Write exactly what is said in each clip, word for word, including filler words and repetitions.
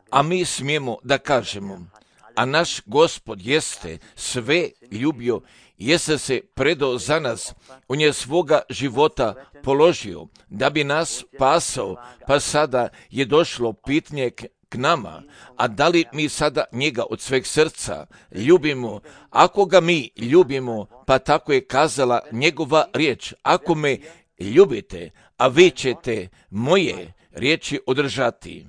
A mi smijemo da kažemo, a naš Gospod jeste sve ljubio, jeste se predao za nas, on je svoga života položio da bi nas spasao, pa sada je došlo pitanje k nama, a da li mi sada njega od sveg srca ljubimo? Ako ga mi ljubimo, pa tako je kazala njegova riječ, ako me ljubite, a vi ćete moje riječi održati.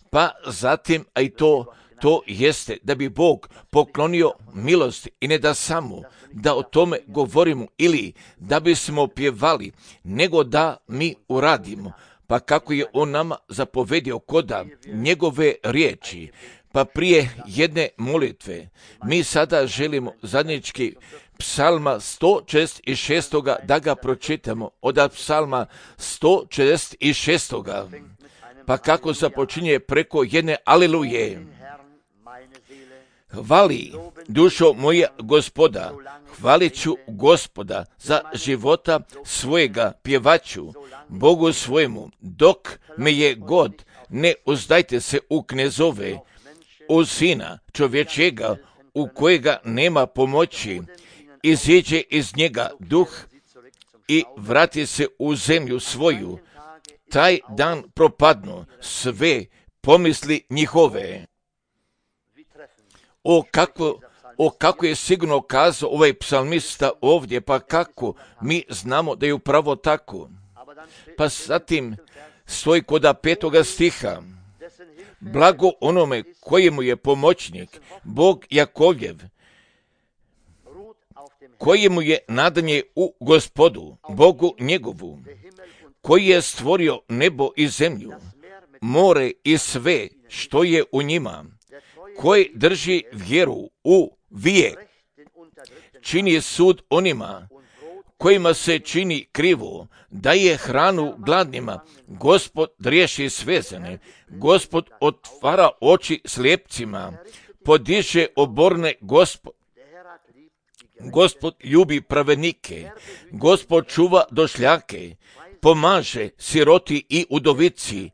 Pa zatim, a i to, to jeste da bi Bog poklonio milost i ne da samo da o tome govorimo ili da bismo pjevali, nego da mi uradimo. Pa kako je on nama zapovedio koda njegove riječi, pa prije jedne molitve, mi sada želimo zajednički psalma sto četrdeset šest da ga pročitamo, od psalma sto četrdeset šest. Pa kako započinje preko jedne aleluje. Hvali, dušo moja Gospoda, hvalit ću Gospoda za života svojega, pjevaću Bogu svojemu, dok me je god, ne uzdajte se u knezove, u sina čovječega, u kojega nema pomoći, iziđe iz njega duh i vrati se u zemlju svoju, taj dan propadnu sve pomisli njihove. O kako, o kako je sigurno kazao ovaj psalmista ovdje, pa kako mi znamo da je upravo tako. Pa zatim stoji koda petoga stiha. Blago onome kojemu je pomoćnik, Bog Jakovljev, kojemu je nadanje u Gospodu, Bogu njegovu, koji je stvorio nebo i zemlju, more i sve što je u njima, koji drži vjeru u vijek, čini sud onima kojima se čini krivo, daje hranu gladnima, Gospod riješi svezane, Gospod otvara oči slijepcima, podiže oborne, Gospod. Gospod ljubi pravednike, Gospod čuva došljake, pomaže siroti i udovici,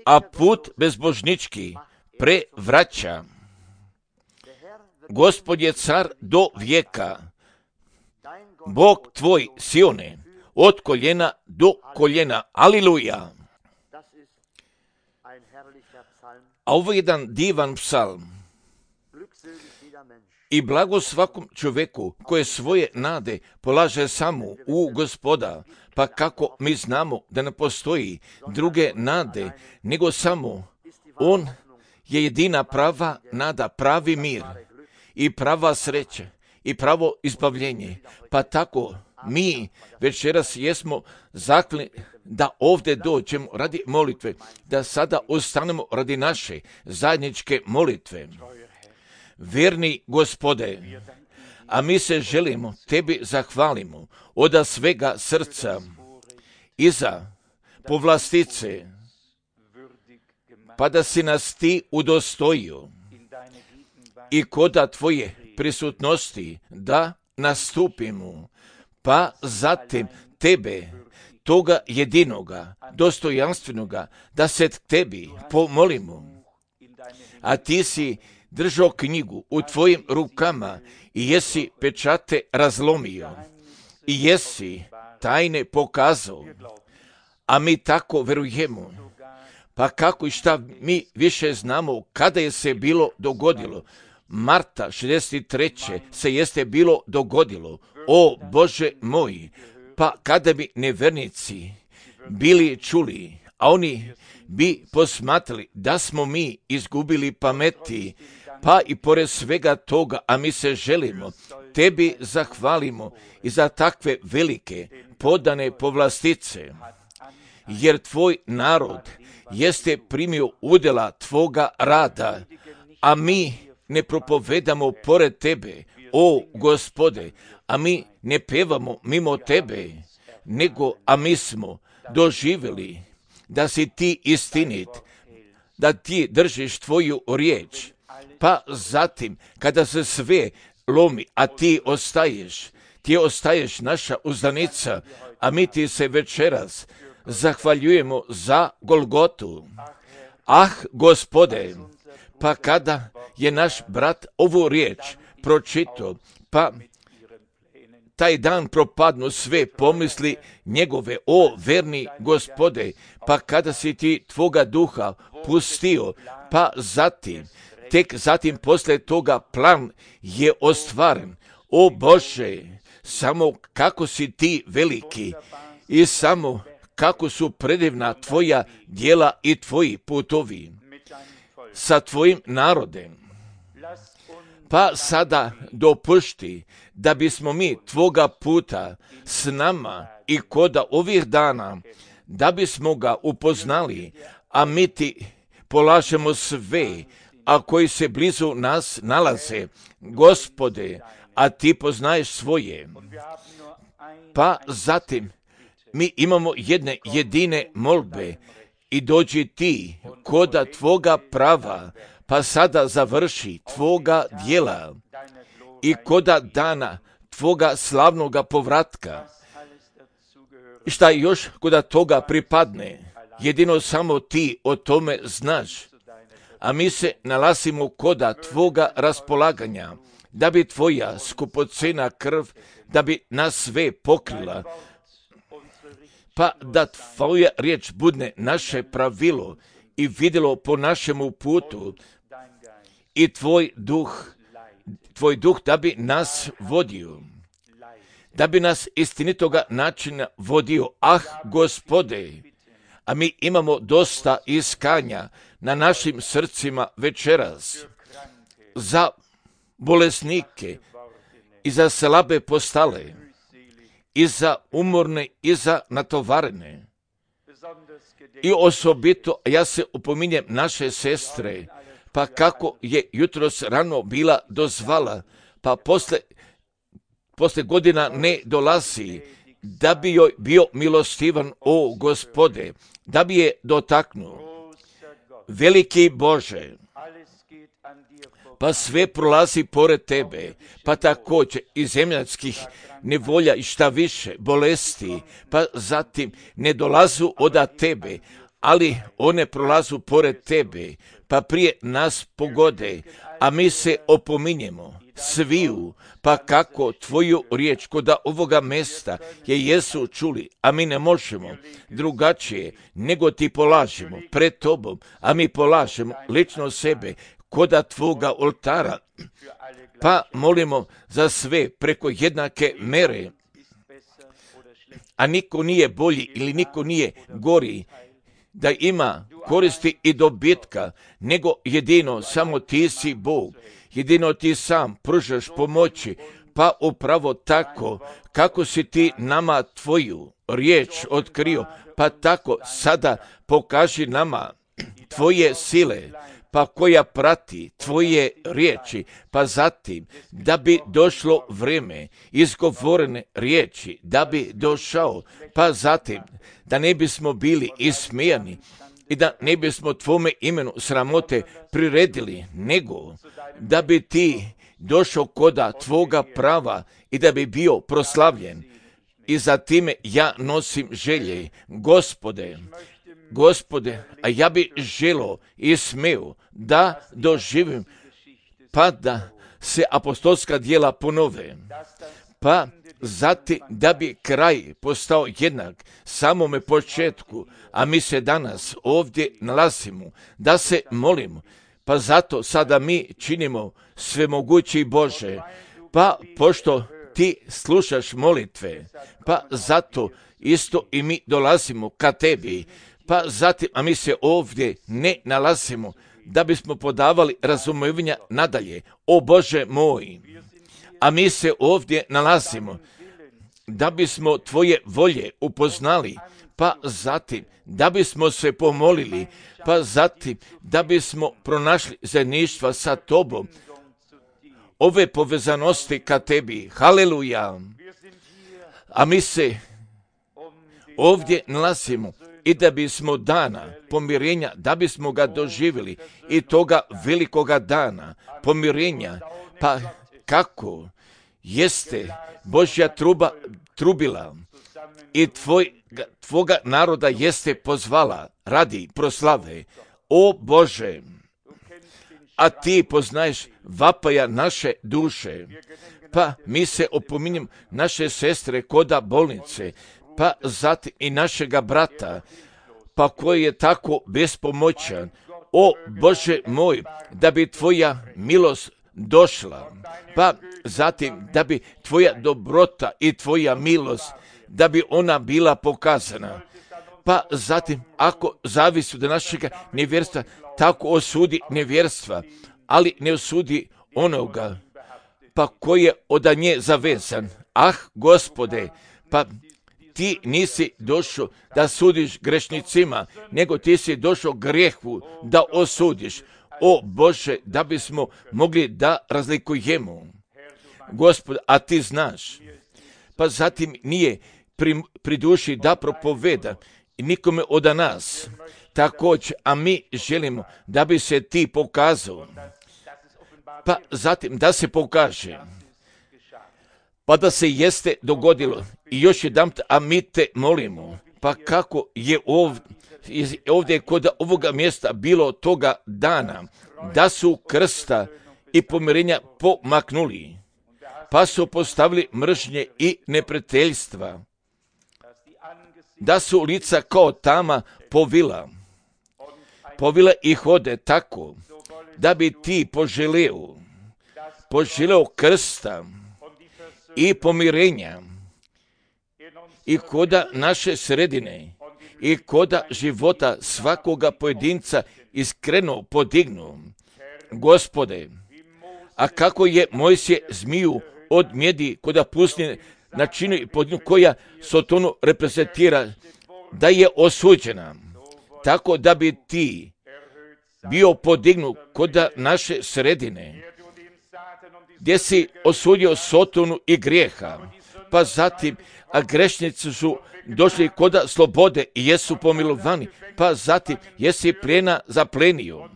a put bezbožnički prevraća. Gospod je car do vijeka, Bog tvoj Sione, od koljena do koljena. Aliluja! A ovo je jedan divan psalm. I blago svakom čovjeku koje svoje nade polaže samo u Gospoda, pa kako mi znamo da ne postoji druge nade, nego samo on je jedina prava nada, pravi mir i prava sreća i pravo izbavljenje. Pa tako mi večeras jesmo zakli da ovdje dođemo radi molitve, da sada ostanemo radi naše zajedničke molitve. Vjerni Gospode, a mi se želimo tebi zahvalimo od svega srca i za povlastice, pa da si nas ti udostojio i koda tvoje prisutnosti da nastupimo, pa zatim tebe, toga jedinoga, dostojanstvenoga, da se tebi pomolimo, a ti si držao knjigu u tvojim rukama i jesi pečate razlomio i jesi tajne pokazao, a mi tako verujemo. Pa kako i šta mi više znamo kada je se bilo dogodilo. Marta šezdeset treće se jeste bilo dogodilo. O Bože moj, pa kada bi nevernici bili čuli, a oni bi posmatrali da smo mi izgubili pameti, pa i pored svega toga, a mi se želimo, tebi zahvalimo i za takve velike podane povlastice, jer tvoj narod jeste primio udjela tvoga rada, a mi ne propovedamo pored tebe, o Gospode, a mi ne pevamo mimo tebe, nego a mi smo doživjeli da si ti istinit, da ti držiš tvoju riječ, pa zatim kada se sve lomi, a ti ostaješ, ti ostaješ naša uzdanica, a mi ti se večeras zahvaljujemo za Golgotu. Ah, Gospode, pa kada je naš brat ovu riječ pročitao, pa taj dan propadnu sve pomisli njegove, o verni Gospode, pa kada si ti tvoga duha pustio, pa zatim, tek zatim posle toga plan je ostvaren. O Bože, samo kako si ti veliki i samo kako su predivna tvoja djela i tvoji putovi sa tvojim narodem. Pa sada dopušti da bismo mi tvoga puta s nama i koda ovih dana, da bismo ga upoznali, a mi ti polažemo sve, a koji se blizu nas nalaze, Gospode, a ti poznaješ svoje. Pa zatim mi imamo jedne jedine molbe i dođi ti koda tvoga prava, pa sada završi tvoga djela i koda dana tvoga slavnoga povratka. I šta još koda toga pripadne, jedino samo ti o tome znaš, a mi se nalazimo koda tvoga raspolaganja, da bi tvoja skupocena krv, da bi nas sve pokrila, pa da tvoja riječ budne naše pravilo i vidjelo po našemu putu i tvoj duh, tvoj duh da bi nas vodio, da bi nas istinitoga načina vodio. Ah, Gospode, a mi imamo dosta iskanja na našim srcima večeras za bolesnike i za slabe postale i za umorne i za natovarene. I osobito ja se upominjem naše sestre, pa kako je jutros rano bila dozvala, pa posle, posle godina ne dolazi, da bi joj bio milostivan, o Gospode, da bi je dotaknuo. Veliki Bože, pa sve prolazi pored tebe, pa također i zemljatskih nevolja i šta više, bolesti, pa zatim ne dolazu od tebe, ali one prolazu pored tebe, pa prije nas pogode, a mi se opominjemo sviju, pa kako tvoju riječ koda ovoga mesta je jesu čuli, a mi ne možemo drugačije nego ti polažemo pred tobom, a mi polažemo lično sebe koda tvoga oltara, pa molimo za sve preko jednake mere, a niko nije bolji ili niko nije gori, da ima koristi i dobitka, nego jedino samo ti si Bog, jedino ti sam pružaš pomoći, pa upravo tako kako si ti nama tvoju riječ otkrio, pa tako sada pokaži nama tvoje sile, pa koja prati tvoje riječi, pa zatim da bi došlo vrijeme izgovorene riječi, da bi došao, pa zatim da ne bismo bili ismijani i da ne bismo tvome imenu sramote priredili, nego da bi ti došao koda tvoga prava i da bi bio proslavljen. I za time ja nosim želje, Gospode, Gospode, a ja bi želio i smeo da doživim, pa da se apostolska djela ponove, pa zatim da bi kraj postao jednak samome početku, a mi se danas ovdje nalazimo, da se molimo, pa zato sada mi činimo svemogući Bože, pa pošto ti slušaš molitve, pa zato isto i mi dolazimo ka tebi, pa zatim, a mi se ovdje ne nalazimo da bismo podavali razumevanja nadalje, o Bože moj, a mi se ovdje nalazimo da bismo tvoje volje upoznali, pa zatim da bismo se pomolili, pa zatim da bismo pronašli zajedništva sa tobom, ove povezanosti ka tebi, haleluja, a mi se ovdje nalazimo i da bismo dana pomirenja, da bismo ga doživjeli i toga velikoga dana pomirenja, pa kako jeste Božja truba trubila i tvoj, tvoga naroda jeste pozvala radi proslave. O Bože, a ti poznaješ vapaja naše duše, pa mi se opominjem naše sestre koda bolnice, pa zatim i našega brata, pa koji je tako bespomoćan. O Bože moj, da bi tvoja milost došla, pa zatim da bi tvoja dobrota i tvoja milost, da bi ona bila pokazana. Pa zatim, ako zavisi od našega nevjerstva, tako osudi nevjerstva, ali ne osudi onoga, pa koji je od nje zavezan. Ah, Gospode, pa ti nisi došao da sudiš grešnicima, nego ti si došao grijehu da osudiš. O Bože, da bismo mogli da razlikujemo. Gospod, a ti znaš. Pa zatim nije pri, pri duši da propoveda nikome od nas. Također, a mi želimo da bi se ti pokazao. Pa zatim da se pokaže. Pa da se jeste dogodilo. I još jedan, a mi te molimo. Pa kako je ovdje, ovdje kod ovoga mjesta bilo toga dana, da su krsta i pomirenja pomaknuli, pa su postavili mržnje i neprijateljstva, da su lica kao tama povila, povila i hode tako, da bi ti poželeo, poželeo krsta i pomirenja i koda naše sredine i koda života svakoga pojedinca iskreno podignu. Gospode, a kako je Mojsije zmiju od mjedi koda pustinje načinu i podinu koja Sotonu reprezentira, da je osuđena, tako da bi ti bio podignu koda naše sredine, gdje si osudio Sotonu i grijeha, pa zatim, a grešnici su došli koda slobode i jesu pomilovani, pa zatim jesi plijena zaplenio,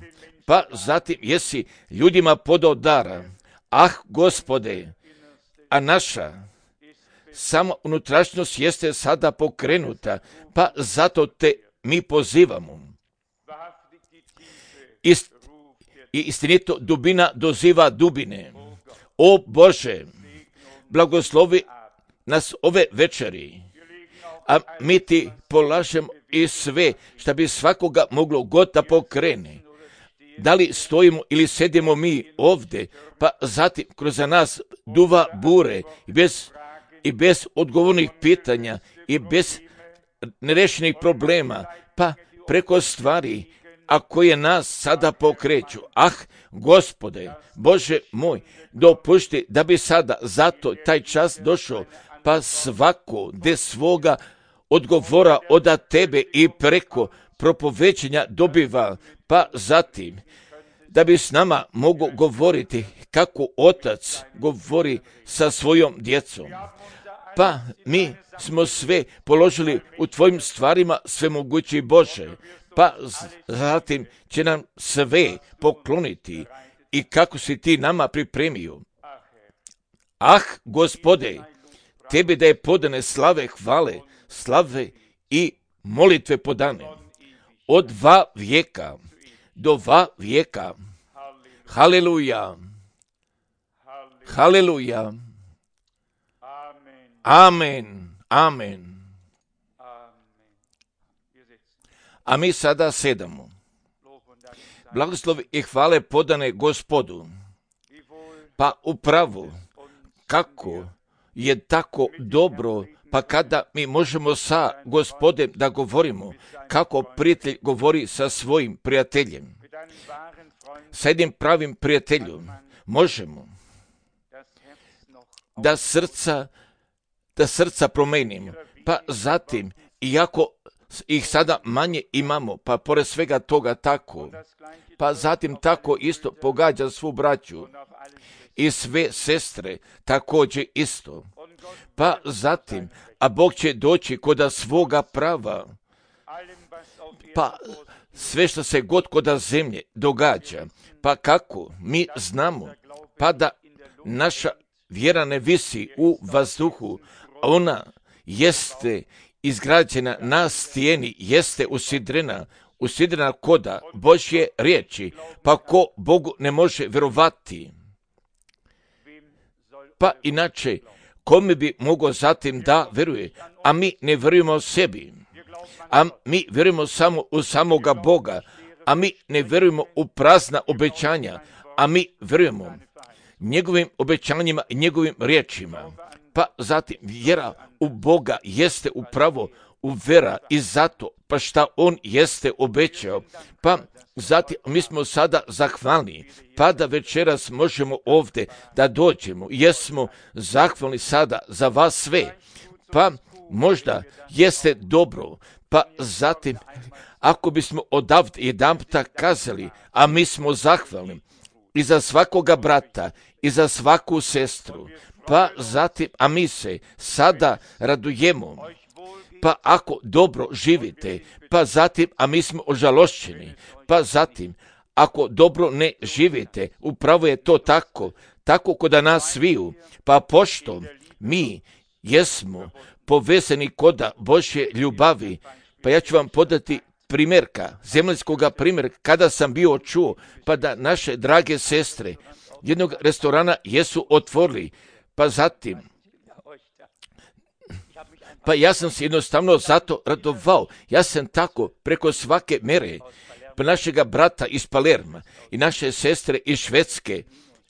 pa zatim jesi ljudima podao dara. Ah, Gospode, a naša samo unutrašnjost jeste sada pokrenuta, pa zato te mi pozivamo. Ist, I istinito dubina doziva dubine. O Bože, blagoslovi nas ove večeri, a mi ti polažemo i sve što bi svakoga moglo god da pokrene. Da li stojimo ili sedimo mi ovdje, pa zatim kroz nas duva bure i bez, i bez odgovornih pitanja i bez nerešenih problema, pa preko stvari, a koje nas sada pokreću. Ah, Gospode, Bože moj, dopušti da bi sada zato taj čas došao, pa svako de svoga odgovora od tebe i preko propovećenja dobiva, pa zatim da bi s nama mogu govoriti kako otac govori sa svojom djecom. Pa mi smo sve položili u tvojim stvarima, svemogući Bože, pa zatim će nam sve pokloniti i kako si ti nama pripremio. Ah, Gospode, tebi da je podane slave, hvale, slave i molitve podane. Od dva vijeka do dva vijeka. Haleluja. Haleluja. Amen. Amen. A mi sada sedamo. Blagoslovi i hvale podane Gospodu. Pa upravo, kako je tako dobro, pa kada mi možemo sa Gospodem da govorimo, kako prijatelj govori sa svojim prijateljem, sa jednim pravim prijateljom, možemo da srca, da srca promenimo, pa zatim, iako ih sada manje imamo, pa pored svega toga tako, pa zatim tako isto pogađa svu braću i sve sestre također isto. Pa zatim, a Bog će doći koda svoga prava, pa sve što se god koda zemlje događa, pa kako mi znamo, pa da naša vjera ne visi u vazduhu, ona jeste izgrađena na stijeni, jeste usidrena, usidrena koda Božje riječi, pa ko Bogu ne može vjerovati? Pa inače, kome bi mogao zatim da vjeruje? A mi ne vjerujemo sebi, a mi vjerujemo samo u samoga Boga, a mi ne vjerujemo u prazna obećanja, a mi vjerujemo njegovim obećanjima i njegovim riječima. Pa zatim vjera u Boga jeste upravo u vera i zato pa šta on jeste obećao. Pa zatim mi smo sada zahvalni, pa da večeras možemo ovdje da dođemo. Jesmo zahvalni sada za vas sve. Pa možda jeste dobro, pa zatim ako bismo odavde jedanputa kazali, a mi smo zahvalni i za svakoga brata i za svaku sestru, pa zatim, a mi se sada radujemo, pa ako dobro živite, pa zatim, a mi smo ožalošćeni, pa zatim, ako dobro ne živite, upravo je to tako, tako koda nas sviju, pa pošto mi jesmo povezani koda Božje ljubavi, pa ja ću vam podati primjerka, zemaljskoga primjerka, kada sam bio čuo, pa da naše drage sestre jednog restorana jesu otvorili, pa zatim, pa ja sam se jednostavno zato radovao, ja sam tako preko svake mere, pa našega brata iz Palerma i naše sestre iz Švedske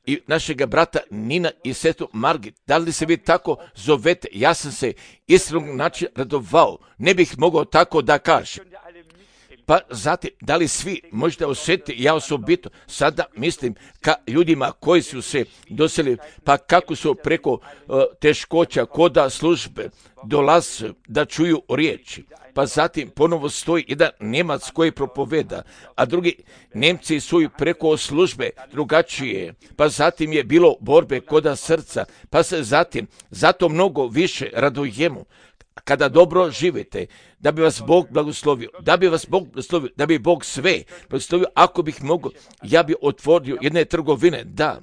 i našega brata Nina i sestru Margit, da li se vi tako zovete, ja sam se iskrenog načina radovao, ne bih mogao tako da kažem. Pa zatim, da li svi možete osjetiti, ja osobito sada mislim ka ljudima koji su se doselili, pa kako su preko uh, teškoća koda službe dolaze da čuju riječi. Pa zatim ponovo stoji jedan Njemac koji propoveda, a drugi Nemci su preko službe drugačije. Pa zatim je bilo borbe koda srca, pa se zatim zato mnogo više radujemo. Kada dobro živite, da bi vas Bog blagoslovio, da bi vas Bog blagoslovio, da bi Bog sve blagoslovio, ako bih mogao, ja bi otvorio jedne trgovine, da.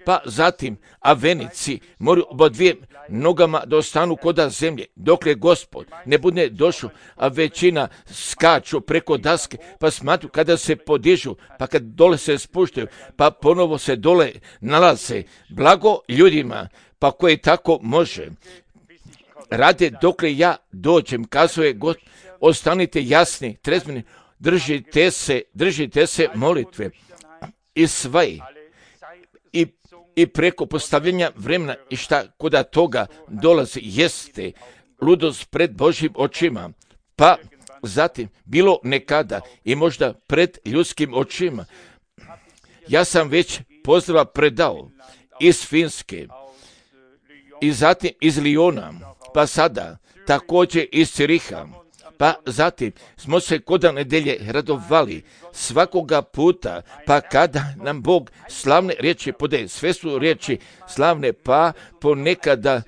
Pa zatim, a venici moraju oba dvije nogama da ostanu koda zemlje, dokle Gospod ne bude došao, a većina skaču preko daske, pa smatru kada se podižu, pa kad dole se spuštaju, pa ponovo se dole nalaze. Blago ljudima, pa koji tako može. Rade dokle ja dođem, kazuje God, ostanite jasni, trezveni, držite se, držite se molitve i sve i, i preko postavljanja vremena i šta koda toga dolazi jeste ludost pred Božjim očima, pa zatim bilo nekada i možda pred ljudskim očima. Ja sam već pozdrava predao iz Finske i zatim iz Lijona, pa sada također iz Ciriha, pa zatim smo se koda nedelje radovali svakoga puta, pa kada nam Bog slavne riječi podaje, sve su riječi slavne, pa ponekada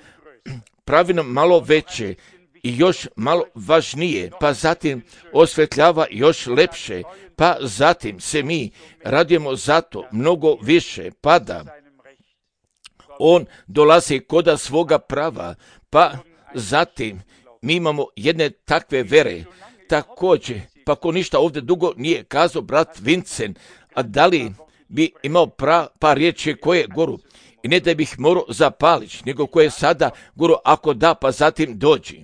pravi nam malo veće i još malo važnije, pa zatim osvetljava još lepše, pa zatim se mi radujemo zato mnogo više, pa da on dolazi koda svoga prava, pa zatim mi imamo jedne takve vere, također, pa ko ništa ovdje dugo nije kazao brat Vincent, a da li bi imao pra, par riječi koje goru, i ne da bih morao zapalić, nego koje sada goru, ako da, pa zatim dođi.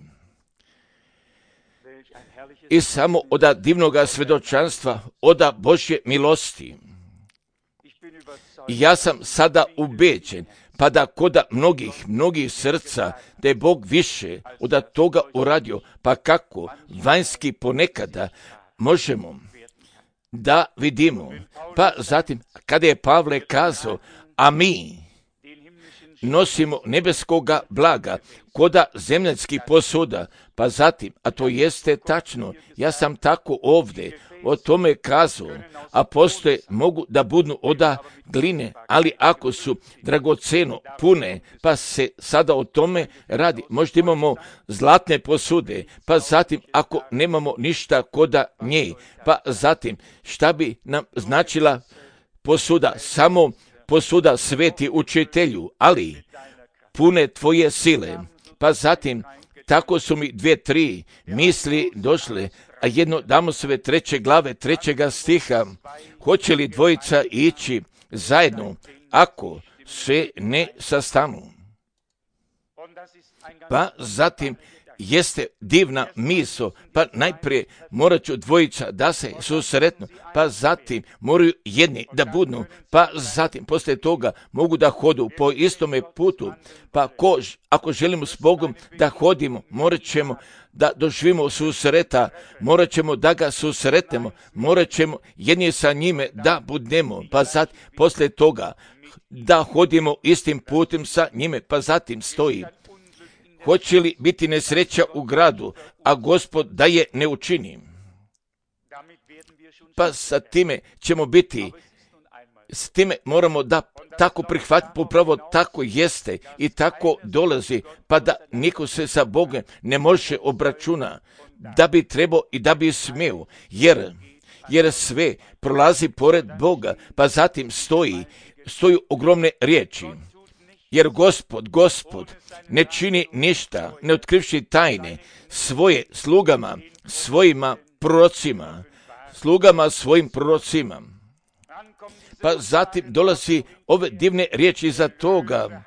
I samo oda divnoga svjedočanstva, oda Božje milosti. I ja sam sada ubeđen, pa da koda mnogih, mnogih srca, da je Bog više od toga uradio, pa kako vanjski ponekada možemo da vidimo. Pa zatim, kada je Pavle kazao, a mi nosimo nebeskoga blaga, koda zemljanskih posuda, pa zatim, a to jeste tačno, ja sam tako ovdje o tome kazao, a postoje mogu da budu oda gline, ali ako su dragoceno pune, pa se sada o tome radi. Možda imamo zlatne posude, pa zatim ako nemamo ništa koda nje, pa zatim šta bi nam značila posuda, samo posuda sveti učitelju, ali pune tvoje sile, pa zatim tako su mi dvije, tri misli došle, a jedno Damosove treće glave, trećega stiha, hoće li dvojica ići zajedno, ako se ne sastanu? Pa zatim jeste divna misao, pa najprije morat ću dvojica da se susretnu, pa zatim moraju jedni da budnu, pa zatim poslije toga mogu da hodu po istome putu, pa ko, ako želimo s Bogom da hodimo, morat ćemo da doživimo susreta, morat ćemo da ga susretemo, morat ćemo jedni sa njime da budemo, pa zatim poslije toga da hodimo istim putem sa njime, pa zatim stoji. Hoće li biti nesreća u gradu, a Gospod da je ne učini? Pa sa time ćemo biti, s time moramo da tako prihvatiti, upravo tako jeste i tako dolazi, pa da niko se sa Bogom ne može obračuna, da bi trebao i da bi smio, jer, jer sve prolazi pored Boga, pa zatim stoji, stoju ogromne riječi. Jer Gospod, Gospod ne čini ništa, ne otkrivši tajne svoje slugama, svojima prorocima, slugama svojim prorocima. Pa zatim dolazi ove divne riječi iza toga.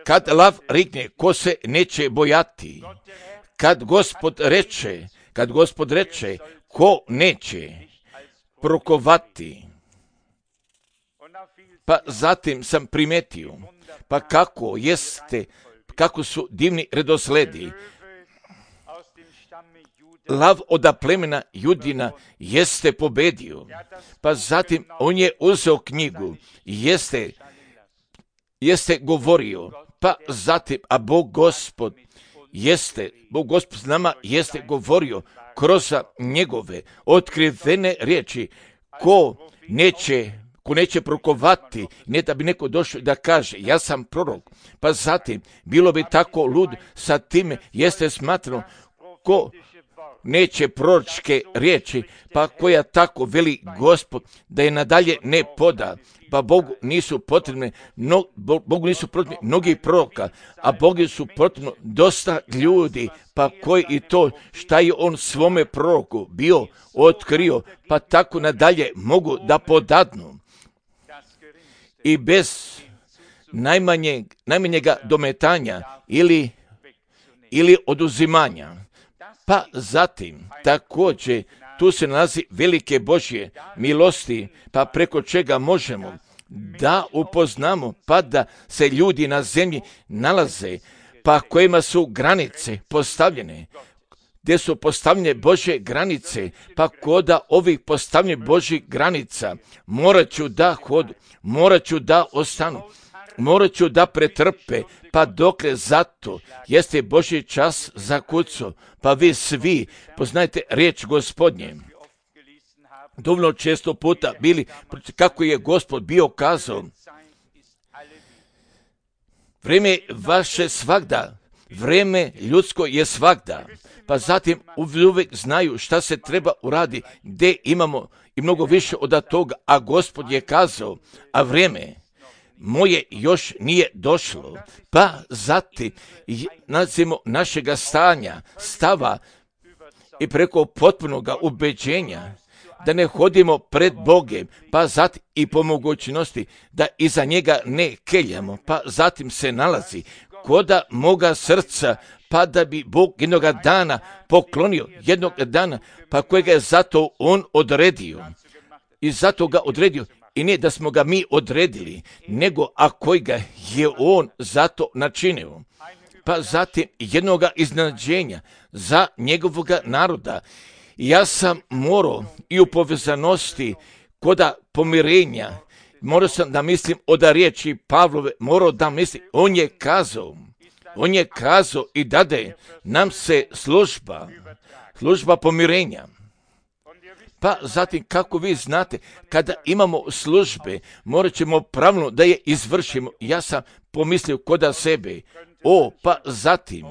Kad lav rikne, ko se neće bojati? Kad Gospod reče, kad Gospod reče, ko neće prokovati? Pa zatim sam primetio, pa kako jeste, kako su divni redosledi. Lav od plemena Judina jeste pobedio, pa zatim on je uzeo knjigu, jeste, jeste govorio, pa zatim, a Bog Gospod jeste, Bog Gospod s nama jeste govorio kroz njegove otkrivene riječi, ko neće ko neće prokovati, ne da bi neko došao da kaže, ja sam prorok, pa zatim, bilo bi tako lud, sa time jeste smatrano, ko neće proročke riječi, pa koja tako veli Gospod, da je nadalje ne poda, pa Bogu nisu potrebne, no, Bogu nisu potrebni mnogi proroka, a Bogu su potrebno dosta ljudi, pa koji i to šta je on svome proroku bio otkrio, pa tako nadalje mogu da podadnu. I bez najmanjeg, najmanjega dometanja ili, ili oduzimanja. Pa zatim, također, tu se nalazi velike Božje milosti, pa preko čega možemo da upoznamo, pa da se ljudi na zemlji nalaze, pa kojima su granice postavljene, gdje su postavljene Božje granice, pa koda ovih postavljene Božjih granica, morat ću da hodu, morat ću da ostanu, morat ću da pretrpe, pa dokle zato jeste Božji čas za kucu, pa vi svi poznajte riječ Gospodnje. Dovoljno često puta bili, kako je Gospod bio kazao, vrijeme vaše svagda, vrijeme ljudsko je svagda, pa zatim uvijek znaju šta se treba uradi, gdje imamo i mnogo više od toga, a Gospod je kazao, a vrijeme moje još nije došlo, pa zatim nalazimo našega stanja, stava i preko potpunoga ubeđenja, da ne hodimo pred Bogem, pa zatim i po mogućnosti da iza njega ne keljamo, pa zatim se nalazi koda moga srca, pa da bi Bog jednoga dana poklonio, jednog dana, pa kojega je zato on odredio. I zato ga odredio. I ne da smo ga mi odredili, nego a kojega je on zato načinio. Pa zatim jednoga iznenađenja za njegovoga naroda. Ja sam morao i u povezanosti koda pomirenja, morao sam da mislim od riječi Pavlove, morao da mislim, on je kazao, on je kazao i dade nam se služba, služba pomirenja. Pa zatim, kako vi znate, kada imamo službe, morat ćemo pravilno da je izvršimo. Ja sam pomislio koda sebe, o, pa zatim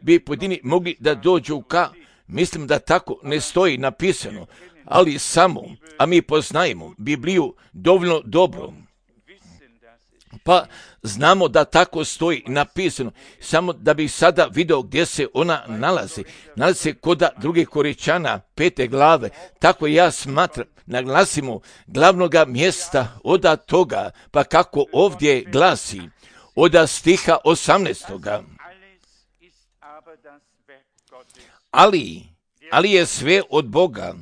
bi pojedini mogli da dođu ka, mislim da tako ne stoji napisano, ali samo, a mi poznajemo Bibliju dovoljno dobro, Pa znamo da tako stoji napisano, samo da bih sada video gdje se ona nalazi. Nalazi se kod drugih Koričana, pete glave, tako ja smatram, naglasimo glavnoga mjesta od toga, pa kako ovdje glasi, od stiha osamnaestoga. Ali, ali je sve od Boga,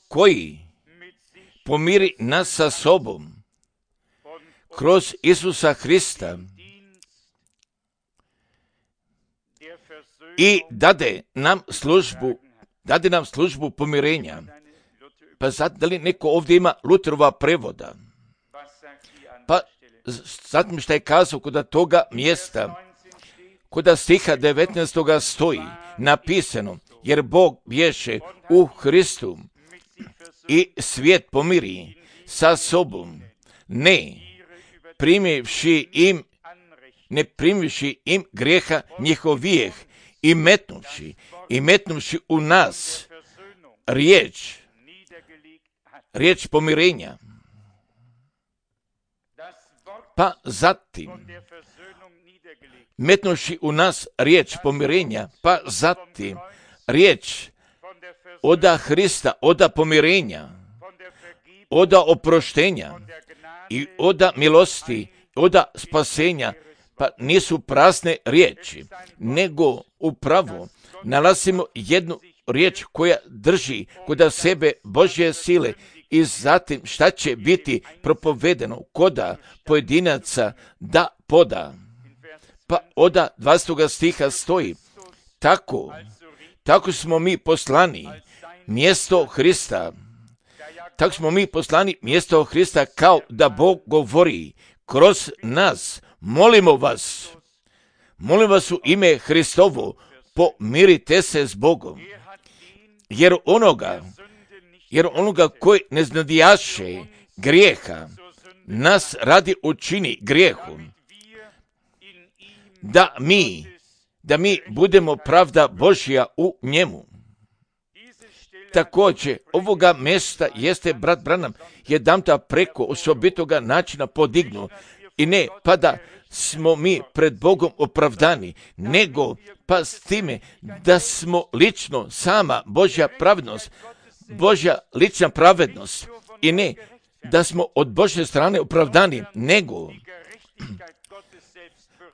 koji pomiri nas sa sobom, kroz Isusa Hrista i dade nam službu, dade nam službu pomirenja. Pa sad, da li neko ovdje ima Luterova prevoda? Pa sad šta je kazao kod toga mjesta, kod stiha devetnaestoga stoji napisano, jer Bog bješe u Hristu i svijet pomiri sa sobom, ne primivši im, ne primivši im grijeha njihovijeh i metnuvši, i metnuvši u nas riječ, riječ pomirenja. Pa zatim, metnuvši u nas riječ pomirenja, pa zatim riječ oda Hrista, oda pomirenja, oda oproštenja i oda milosti, oda spasenja, pa nisu prazne riječi, nego upravo nalazimo jednu riječ koja drži kod sebe Božje sile i zatim šta će biti propovedeno koda pojedinaca da poda. Pa oda dvadesetog stiha stoji, tako, tako smo mi poslani mjesto Hrista, tako smo mi poslani mjesto Hrista, kao da Bog govori kroz nas, molimo vas, molim vas u ime Hristovo, pomirite se s Bogom, jer onoga, jer onoga koji ne znadijaše grijeha, nas radi učini grijehu, da mi, da mi budemo pravda Božja u njemu. Također, ovoga mjesta jeste brat Branham jedanputa preko osobitoga načina podignu i ne pa da smo mi pred Bogom opravdani, nego pa s time da smo lično sama Božja pravednost, Božja lična pravednost i ne da smo od Božje strane opravdani, nego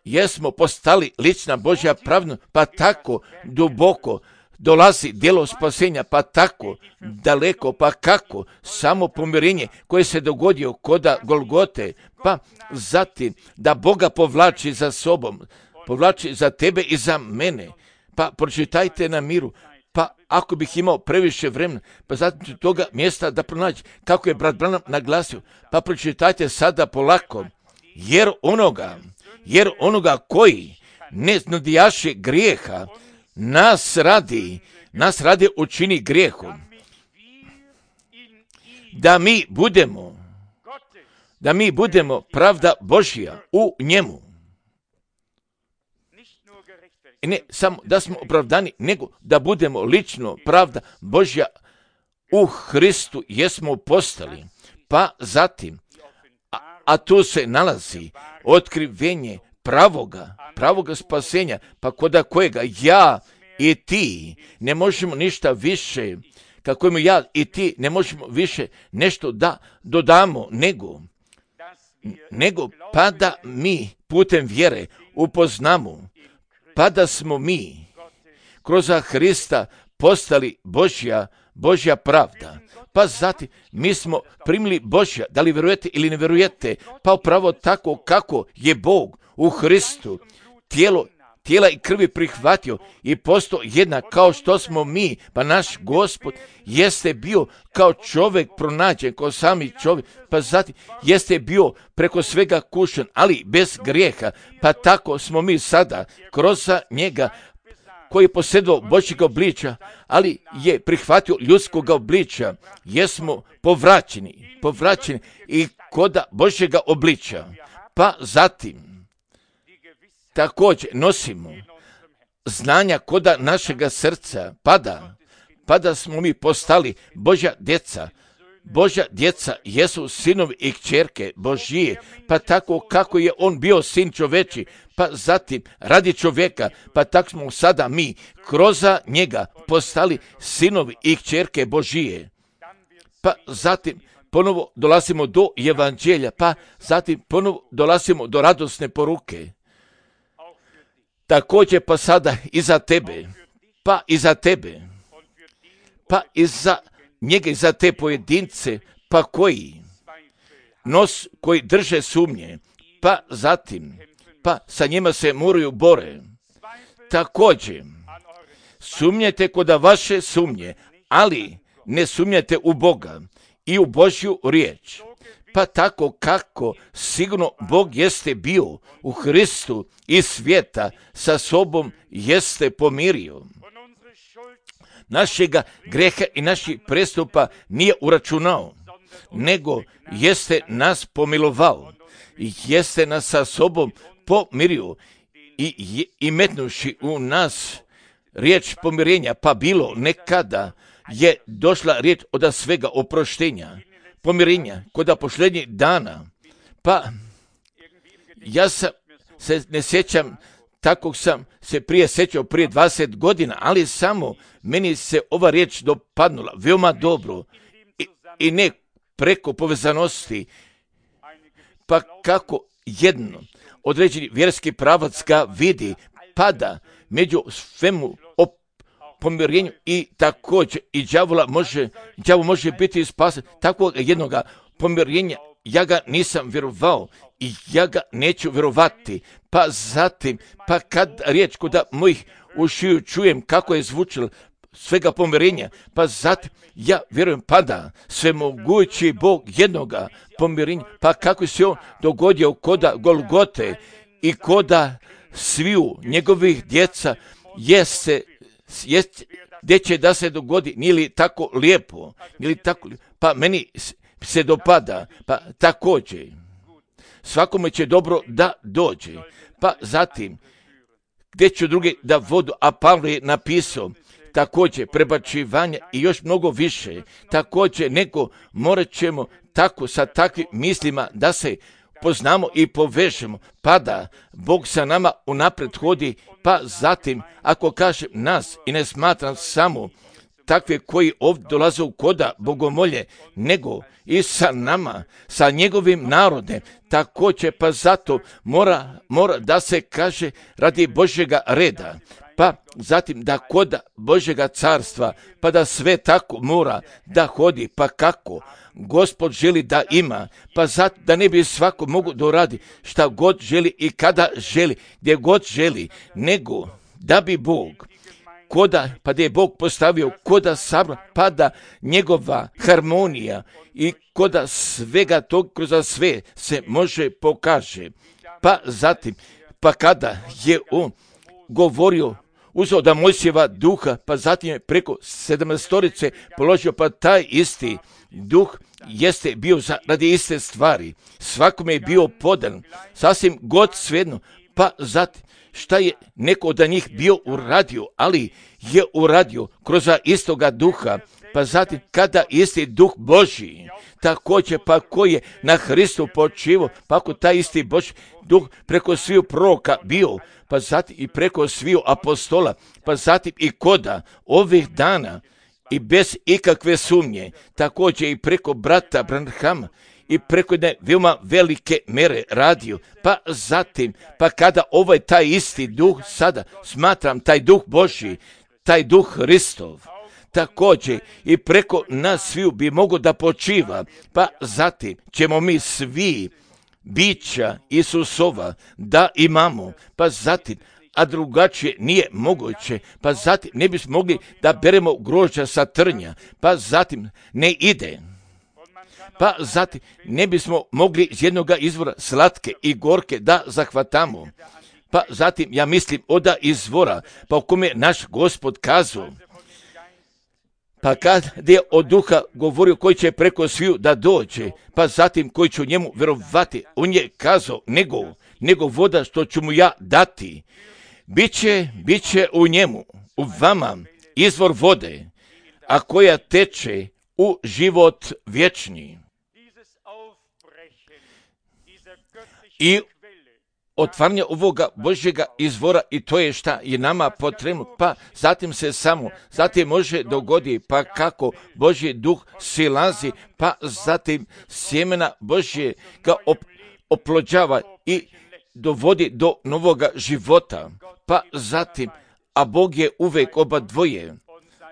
jesmo postali lična Božja pravednost, pa tako duboko dolazi djelo spasenja, pa tako daleko, pa kako samo pomirenje koje se dogodio koda Golgote, pa zatim da Boga povlači za sobom, povlači za tebe i za mene. Pa pročitajte na miru, pa ako bih imao previše vremena, pa zatim toga mjesta da pronaći kako je brat Branham naglasio, pa pročitajte sada polako, jer onoga, jer onoga koji ne znadijaše grijeha, nas radi, nas radi učini grijehom, da mi budemo, da mi budemo pravda Božja u njemu. I ne samo da smo opravdani, nego da budemo lično pravda Božja u Hristu jesmo postali. Pa zatim, a, a tu se nalazi otkrivenje pravoga, pravoga spasenja, pa koda kojega ja i ti ne možemo ništa više, kako ima ja i ti ne možemo više nešto da dodamo, nego, nego pa da mi putem vjere upoznamo, pa da smo mi kroz Hrista postali Božja, Božja pravda. Pa zatim mi smo primili Božja, da li vjerujete ili ne vjerujete, pa upravo tako kako je Bog u Hristu tijelo, tijela i krvi prihvatio i postao jednak kao što smo mi, pa naš Gospod jeste bio kao čovjek pronađen, kao sami čovjek, pa zatim jeste bio preko svega kušen, ali bez grijeha, pa tako smo mi sada kroz njega koji je posjedovao Božjeg obličja, ali je prihvatio ljudskog obličja, jesmo povraćeni, povraćeni i koda Božjega obličja. Pa zatim također nosimo znanja koda našega srca, pada, pada smo mi postali Božja djeca, Božja djeca jesu sinovi i kćerke Božije, pa tako kako je on bio sin čoveči, pa zatim radi čovjeka, pa tako smo sada mi kroz njega postali sinovi i kćerke Božije. Pa zatim ponovo dolazimo do evanđelja, pa zatim ponovo dolazimo do radosne poruke. Također pa sada i za tebe, pa i za tebe, pa i za njega i za te pojedince, pa koji nos, koji drže sumnje, pa zatim, pa sa njima se moraju bore. Također, sumnjajte kod vaše sumnje, ali ne sumnjajte u Boga i u Božju riječ. Pa tako kako sigurno Bog jeste bio u Hristu i svijeta sa sobom jeste pomirio. Našega greha i naših prestupa nije uračunao, nego jeste nas pomilovao i jeste nas sa sobom pomirio i, i metnuši u nas riječ pomirenja, pa bilo nekada je došla riječ od svega oproštenja, pomirenja kod posljednjih dana. Pa ja sam, se ne sjećam tako sam se prije sjećao prije dvadeset godina, ali samo meni se ova riječ dopadnula veoma dobro i, i ne preko povezanosti, pa kako jedno određeni vjerski pravac ga vidi, pada među svemu o pomirenju i također i đavola može, đavo može biti spasen. Takvog jednoga pomirenja ja ga nisam vjerovao i ja ga neću vjerovati. Pa zatim, pa kad riječ kod mojih ušiju čujem kako je zvučilo svega pomirenja, pa zatim ja vjerujem pada svemogući Bog jednoga pomirenja, pa kako se on dogodio koda Golgote i koda sviju njegovih djeca jeste, jest, gdje će da se dogodi, nije li tako lijepo, nije li tako lijepo, pa meni se dopada, pa također svakome će dobro da dođe, pa zatim gdje ću drugi da vodu, a Pavle je napisao također prebačivanje i još mnogo više, također nego morat ćemo tako sa takvim mislima da se poznamo i povežemo, pa da Bog sa nama unaprijed hodi, pa zatim ako kažem nas i ne smatram samo takve koji ovdje dolaze u koda bogomolje, nego i sa nama, sa njegovim narodem, također pa zato mora, mora da se kaže radi Božjega reda, pa zatim da koda Božjega carstva, pa da sve tako mora da hodi, pa kako Gospod želi da ima, pa zato da ne bi svako mogu da radi šta god želi i kada želi, gdje god želi, nego da bi Bog koda, pa da je Bog postavio koda sabra, pa da njegova harmonija i koda svega tog kroz sve se može pokaže. Pa zatim, pa kada je on govorio, uzeo da Mojsijeva duha, pa zatim je preko sedamnaestorice položio, pa taj isti duh jeste bio za, radi iste stvari. Svakome je bio podan, sasvim god svejedno, pa zatim šta je neko od njih bio uradio, ali je uradio kroz istoga duha, pa zatim kada isti duh Božji, također pa koji je na Hristu počivo, pa ako taj isti Božji duh preko sviju proroka bio, pa zatim i preko sviju apostola, pa zatim i koda ovih dana i bez ikakve sumnje, također i preko brata Branhama, i preko jedne veoma velike mere radio, pa zatim, pa kada ovaj taj isti duh sada, smatram taj duh Božji, taj duh Hristov, također i preko nas sviju bi mogo da počiva, pa zatim ćemo mi svi bića Isusova da imamo, pa zatim, a drugačije nije moguće, pa zatim ne bismo mogli da beremo grožđa sa trnja, pa zatim ne ide. Pa zatim ne bismo mogli iz jednog izvora slatke i gorke da zahvatamo. Pa zatim ja mislim oda izvora, pa u kome naš Gospod kazao, pa kad je od duha govorio koji će preko sviju da dođe, pa zatim koji će njemu vjerovati, on je kazao, nego, nego voda što ću mu ja dati, biće, biće u njemu, u vama, izvor vode, a koja teče u život vječni. I otvaranje ovoga Božjega izvora, i to je šta je nama potrebno, pa zatim se samo, zatim može dogodi, pa kako Božji duh silazi, pa zatim sjemena Božje ga op, oplođava i dovodi do novoga života, pa zatim, a Bog je uvijek oba dvoje,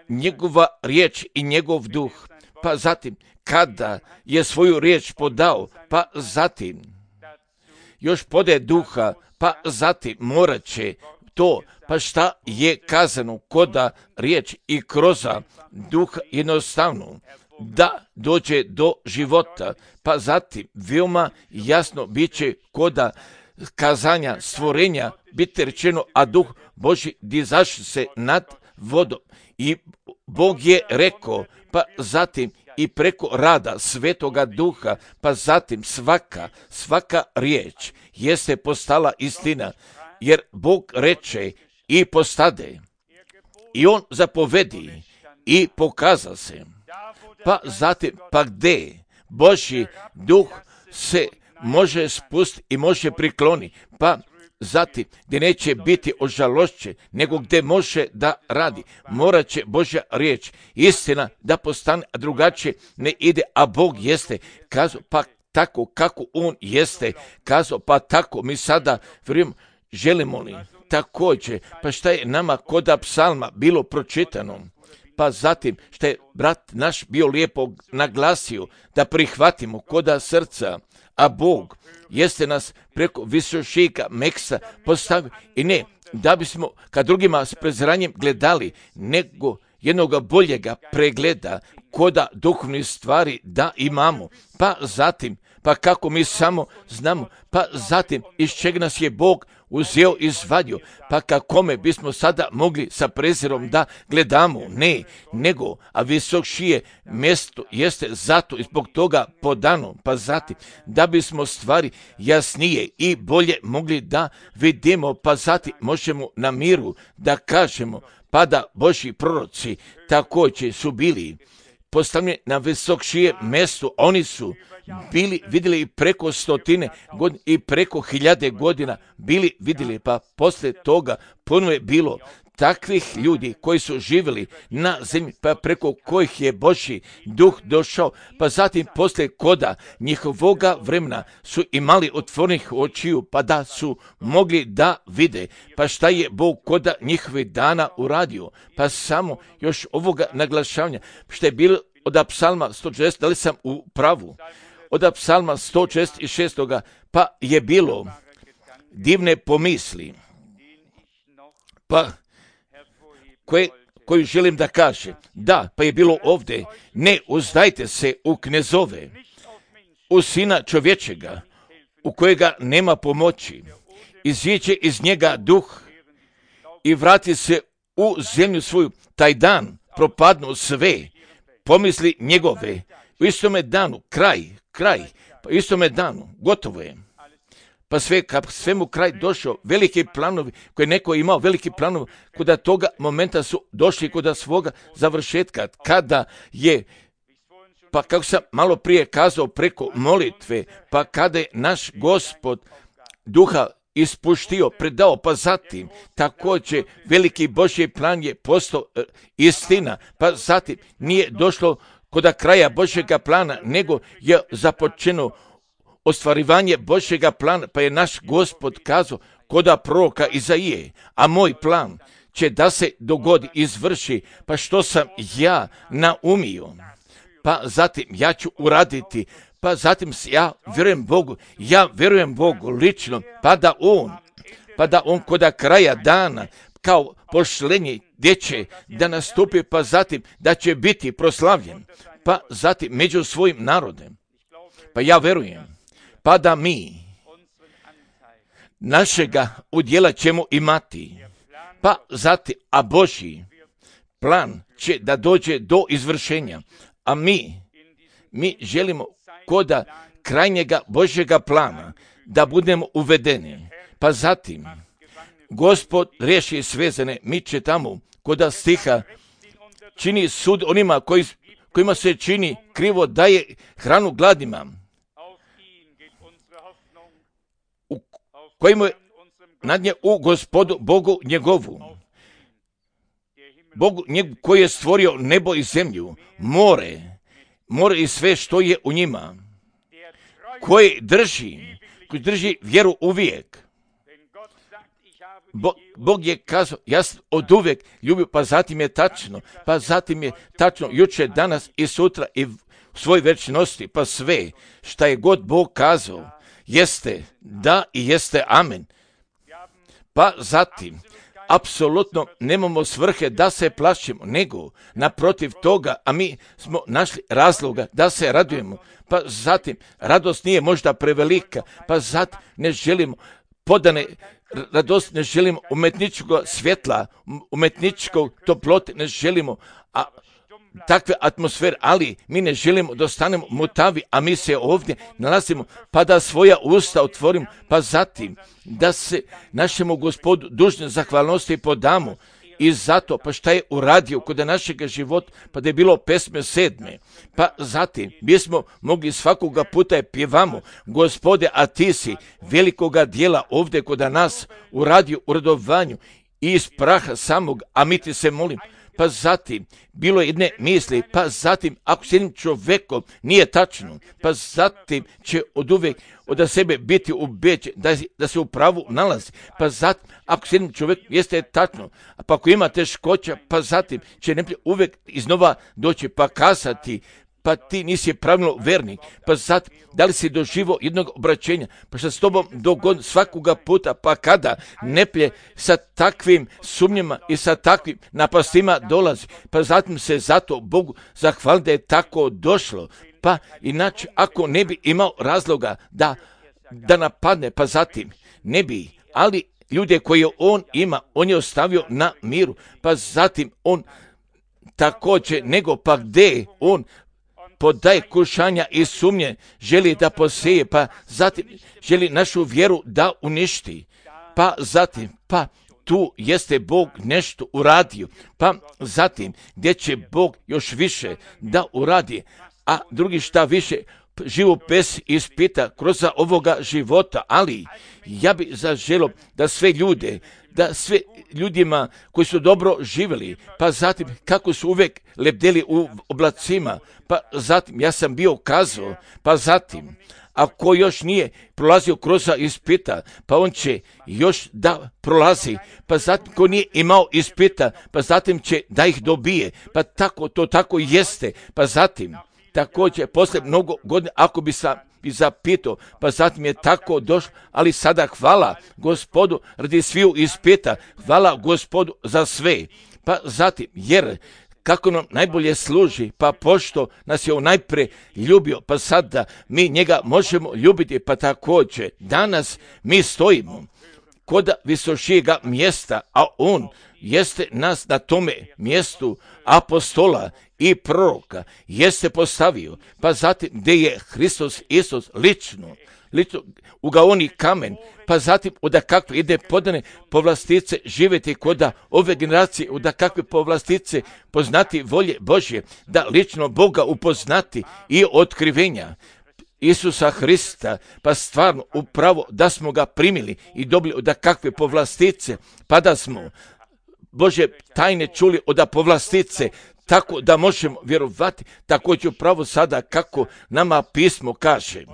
njegova riječ i njegov duh, pa zatim, kada je svoju riječ podao, pa zatim, još podaje duha, pa zatim morat će to, pa šta je kazano koda riječ i kroz duh jednostavno, da dođe do života, pa zatim veoma jasno bit će koda kazanja stvorenja biti rečeno, a duh Božji dizaše se nad vodom. I Bog je rekao, pa zatim i preko rada Svetoga Duha, pa zatim svaka, svaka riječ jeste postala istina, jer Bog reče i postade. I on zapovedi i pokaza se. Pa zatim, pa gde Božji duh se može spustiti i može prikloni, pa zatim gdje neće biti ožalošćen, nego gdje može da radi. Morat će Božja riječ, istina da postane, a drugačije ne ide, a Bog jeste kazao, pa tako kako on jeste kazao, pa tako mi sada vjerujemo, želimo li također, pa šta je nama koda psalma bilo pročitano, pa zatim šta je brat naš bio lijepo naglasio, da prihvatimo koda srca, a Bog jeste nas preko visošika Meksa postavio, i ne da bismo kad drugima s preziranjem gledali, nego jednoga boljega pregleda koda duhovnih stvari da imamo, pa zatim, pa kako mi samo znamo, pa zatim iz čega nas je Bog uzeo i izvadio, pa kakome bismo sada mogli sa prezirom da gledamo, ne, nego, a visokšije mjesto jeste zato i zbog toga podano, pa zatim, da bismo stvari jasnije i bolje mogli da vidimo, pa zatim možemo na miru da kažemo, pa da Božji proroci također su bili postavljeni na visokšije mjesto, oni su bili vidjeli i preko stotine godina i preko hiljade godina bili vidjeli, pa poslije toga puno je bilo takvih ljudi koji su živjeli na zemlji, pa preko kojih je Božji duh došao, pa zatim poslije koda njihovoga vremena su imali otvorenih očiju, pa da su mogli da vide, pa šta je Bog koda njihovih dana uradio, pa samo još ovoga naglašavanja, što je bilo od psalma sto šest, da li sam u pravu, od psalma sto šezdeset šest, pa je bilo divne pomisli, pa koje, koju želim da kaže, da, pa je bilo ovdje, ne uzdajte se u knezove, u sina čovječega, u kojega nema pomoći, iziđe iz njega duh i vrati se u zemlju svoju, taj dan propadnu sve pomisli njegove, u istome danu, kraj, kraj, pa u istome danu, gotovo je. Pa sve, kad svemu kraj došao, veliki planovi, koji neko imao veliki planovi, kuda toga momenta su došli kuda svoga završetka, kada je, pa kako sam malo prije kazao, preko molitve, pa kada je naš Gospod duha ispuštio, predao, pa zatim također veliki Božji plan je postao e, istina, pa zatim nije došlo kod kraja Božjega plana, nego je započeno ostvarivanje Božjega plana, pa je naš Gospod kazao koda proroka Izaije, a moj plan će da se dogodi, izvrši, pa što sam ja naumio, pa zatim ja ću uraditi, pa zatim ja vjerujem Bogu, ja vjerujem Bogu lično, pa da on, pa da on koda kraja dana, kao pošlenje gdje će da nastupi, pa zatim da će biti proslavljen, pa zatim među svojim narodem. Pa ja vjerujem, pa da mi našega udjela ćemo imati, pa zatim, a Božji plan će da dođe do izvršenja, a mi, mi želimo koda krajnjega Božjega plana da budemo uvedeni, pa zatim Gospod riješi svezane, mi će tamo koda stiha čini sud onima koji, kojima se čini krivo daje hranu gladnima, u kojima je nadnje u Gospodu Bogu njegovu, Bogu njegu koji je stvorio nebo i zemlju, more, more i sve što je u njima, koji drži, koji drži vjeru uvijek. Bo, Bog je kazao, ja sam od uvijek ljubio, pa zatim je tačno, pa zatim je tačno, jučer, danas i sutra i u svoj večnosti, pa sve šta je god Bog kazao, jeste da i jeste amen. Pa zatim, apsolutno nemamo svrhe da se plašimo, nego naprotiv toga, a mi smo našli razloga da se radujemo. Pa zatim, radost nije možda prevelika, pa zatim ne želimo podane radost, ne želimo umetničkog svjetla, umetničkog toplote, ne želimo a, takve atmosfere, ali mi ne želimo da ostanemo mutavi, a mi se ovdje nalazimo, pa da svoja usta otvorimo, pa zatim da se našemu Gospodu dužne zahvalnosti podamo. I zato, pa šta je uradio kod našega života, pa da je bilo pesme sedme, pa zatim bismo mogli svakoga puta je pjevamo, Gospode, a ti si velikoga dijela ovdje kod nas uradio u radovanju i iz praha samog, a mi ti se molim. Pa zatim, bilo jedne misli, pa zatim, ako s jednim čovjekom nije tačno, pa zatim će od uvijek od sebe biti ubeđen da, da se u pravu nalazi, pa zatim, ako s jednim čovjekom jeste tačno, pa ako ima teškoća, pa zatim će ne uvijek iznova doći pa kasati, pa ti nisi pravilno vernik, pa zatim, da li si doživo jednog obraćenja, pa što s tobom dogod svakoga puta, pa kada neplje sa takvim sumnjama i sa takvim napastima dolazi, pa zatim se zato Bogu zahvali da je tako došlo, pa inače ako ne bi imao razloga da, da napadne, pa zatim ne bi, ali ljude koje on ima, on je ostavio na miru, pa zatim on također, nego pa gdje on podaje kušanja i sumnje, želi da poseje, pa zatim želi našu vjeru da uništi, pa zatim, pa tu jeste Bog nešto uradio, pa zatim gdje će Bog još više da uradi, a drugi šta više, živu pes ispita kroz ovoga života, ali ja bi zaželio da sve ljude, da sve ljudima koji su dobro živjeli, pa zatim kako su uvijek lebdeli u oblacima, pa zatim ja sam bio kazao, pa zatim ako još nije prolazio kroz ispita, pa on će još da prolazi, pa zatim ko nije imao ispita, pa zatim će da ih dobije, pa tako to tako jeste, pa zatim također posle mnogo godina ako bi sam i zapitao, pa zatim je tako došlo, ali sada hvala Gospodu radi sviju ispita, hvala Gospodu za sve, pa zatim jer kako nam najbolje služi, pa pošto nas je on najprije ljubio, pa sada mi njega možemo ljubiti, pa također danas mi stojimo kod visošijega mjesta, a on jeste nas na tome mjestu apostola i proroka jeste postavio, pa zatim gdje je Hristos Isus lično, lično ugaoni kamen, pa zatim oda kakve ide podane povlastice živjeti koda ove generacije, oda kakve povlastice poznati volje Božje, da lično Boga upoznati i otkrivenja Isusa Hrista, pa stvarno upravo da smo ga primili i dobili oda kakve povlastice, pa da smo Bože tajne čuli oda povlastice, tako da možemo vjerovati također upravo sada kako nama pismo kaže.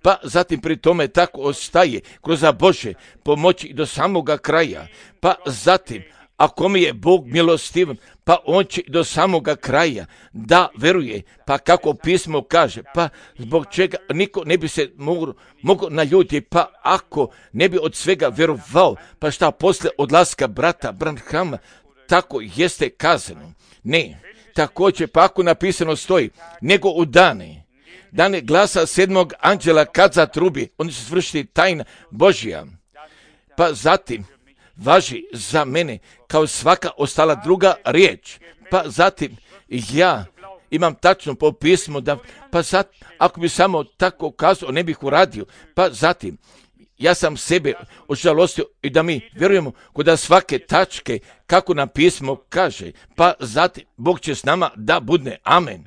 Pa zatim pri tome tako ostaje kroz Bože pomoći do samoga kraja. Pa zatim, ako mi je Bog milostivan, pa on će do samoga kraja da veruje, pa kako pismo kaže, pa zbog čega niko ne bi se mogo, mogo naljutiti, pa ako ne bi od svega vjerovao, pa šta posle odlaska brata Branhama, tako jeste kazano. Ne, također pa ako napisano stoji, nego u dane, dane glasa sedmog anđela kad zatrubi, on će svršiti tajna Božja. Pa zatim, važi za mene kao svaka ostala druga riječ. Pa zatim, ja imam tačno po pismu, da, pa zatim, ako bi samo tako kazao, ne bih uradio. Pa zatim, ja sam sebe ožalostio i da mi vjerujemo kod svake tačke kako nam pismo kaže. Pa zatim, Bog će s nama da budne. Amen.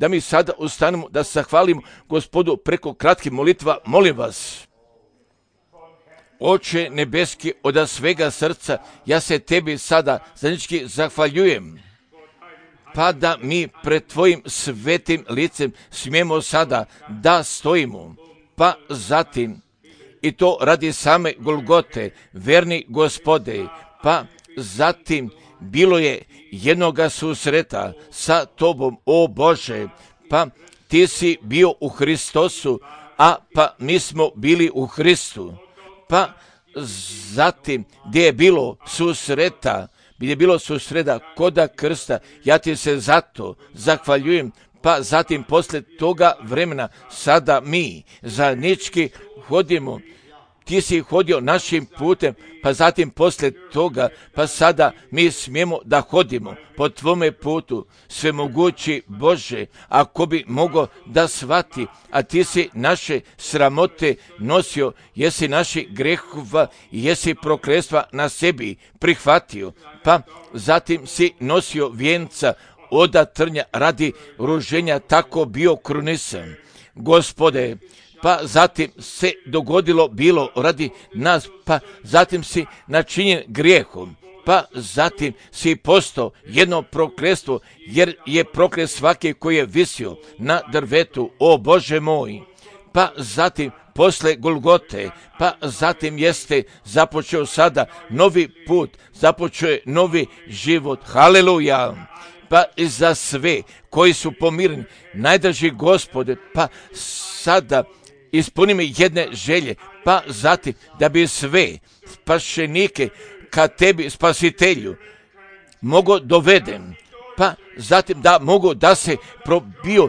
da mi sada ustanemo, da se zahvalimo Gospodu preko kratkih molitva. Molim vas, Oče nebeski, od svega srca, ja se tebi sada zajednički zahvaljujem, pa da mi pred tvojim svetim licem smijemo sada da stojimo, pa zatim i to radi same Golgote, verni Gospode, pa zatim bilo je jednoga susreta sa tobom, o Bože, pa ti si bio u Hristosu, a pa mi smo bili u Hristu, pa zatim gdje je bilo susreta, gdje je bilo susreta koda krsta, ja ti se zato zahvaljujem, pa zatim posle toga vremena sada mi zajednički hodimo. Ti si hodio našim putem, pa zatim posle toga, pa sada mi smijemo da hodimo po tvome putu, svemogući Bože, ako bi mogo da shvati, a ti si naše sramote nosio, jesi naši grehova i jesi prokletstva na sebi prihvatio, pa zatim si nosio vijenca oda trnja radi ruženja, tako bio krunisan. Gospode, pa zatim se dogodilo bilo radi nas, pa zatim si načinjen grijehom, pa zatim si postao jedno prokletstvo, jer je proklet svaki koji je visio na drvetu, o Bože moj, pa zatim posle Golgote, pa zatim jeste započeo sada novi put, započeo je novi život, haleluja. Pa i za sve koji su pomireni, najdraži Gospode, pa sada ispuni mi jedne želje, pa zatim da bi sve spašenike ka tebi, spasitelju, mogo dovedem, pa zatim da mogu da se probiju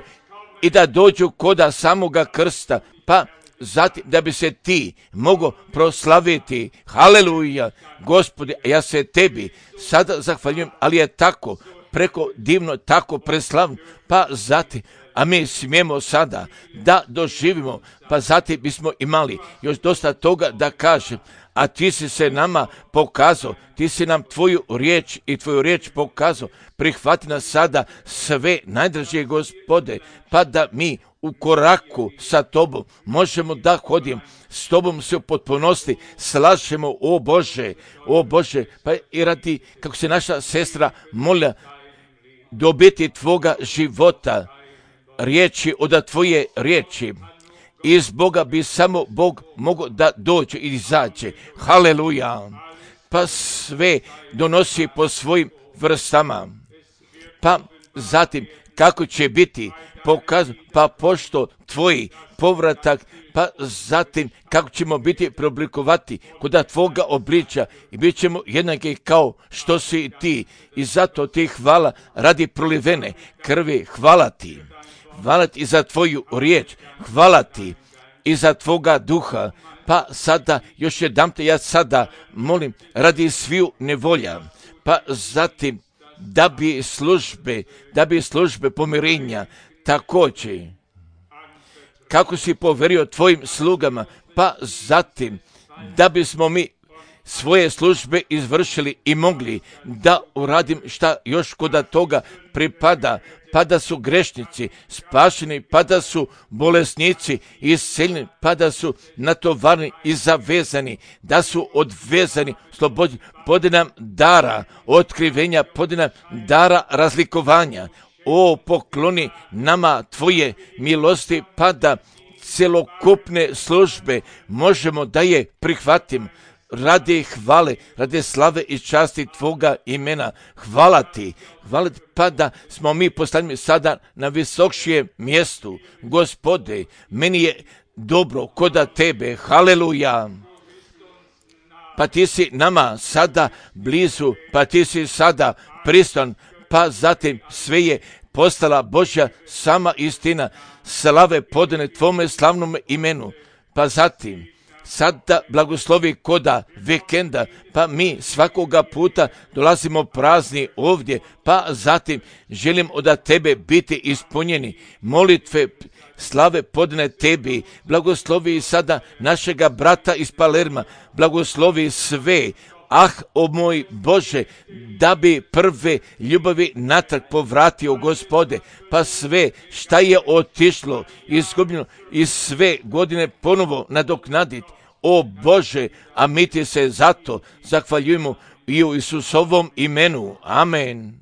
i da dođu koda samoga krsta, pa zatim da bi se ti mogo proslaviti. Haleluja, Gospode, ja se tebi sada zahvaljujem, ali je tako preko divno, tako preslavno, pa zatim, a mi smijemo sada da doživimo, pa zatim bismo imali još dosta toga da kažem, a ti si se nama pokazao, ti si nam tvoju riječ i tvoju riječ pokazao, prihvati nas sada sve, najdražije Gospode, pa da mi u koraku sa tobom možemo da hodimo, s tobom se u potpunosti slažemo, o Bože, o Bože, pa i radi, kako se naša sestra molila, dobiti tvoga života, riječi od tvoje riječi. Iz Boga bi samo Bog mogao da dođe i izađe. Haleluja. Pa sve donosi po svojim vrstama. Pa zatim kako će biti pokazano, pa pošto tvoji povratak, pa zatim kako ćemo biti preoblikovati kod tvoga obličja i bit ćemo jednaki kao što si i ti. I zato ti hvala radi prolivene krvi, hvala ti. Hvala ti za tvoju riječ, hvala ti i za tvoga duha. Pa sada još jednom te ja sada molim radi sviju nevolja, pa zatim da bi službe, da bi službe pomirenja također, kako si poverio tvojim slugama, pa zatim da bismo mi svoje službe izvršili i mogli da uradim šta još kod toga pripada, pa da su grešnici spašeni, pa da su bolesnici isceljeni, pa da su natovarni i zavezani, da su odvezani, slobodni, podi nam dara otkrivenja, podi nam dara razlikovanja. O, pokloni nama tvoje milosti, pa da celokupne službe možemo da je prihvatim radi hvale, radi slave i časti tvoga imena. Hvala ti, hvala ti, pa da smo mi postavljeni sada na visokšijem mjestu. Gospode, meni je dobro koda tebe, haleluja. Pa ti si nama sada blizu, pa ti si sada pristan, pa zatim sve je postala Božja sama istina, slave podane tvome slavnom imenu, pa zatim sada blagoslovi koda vikenda, pa mi svakoga puta dolazimo prazni ovdje, pa zatim želim od tebe biti ispunjeni. Molitve slave podne tebi, blagoslovi sada našega brata iz Palerma, blagoslovi sve Ah, o moj Bože, da bi prve ljubavi natrag povratio, Gospode, pa sve šta je otišlo, izgubljeno i sve godine ponovo nadoknaditi. O Bože, a mi ti se zato zahvaljujemo i u Isusovom imenu. Amen.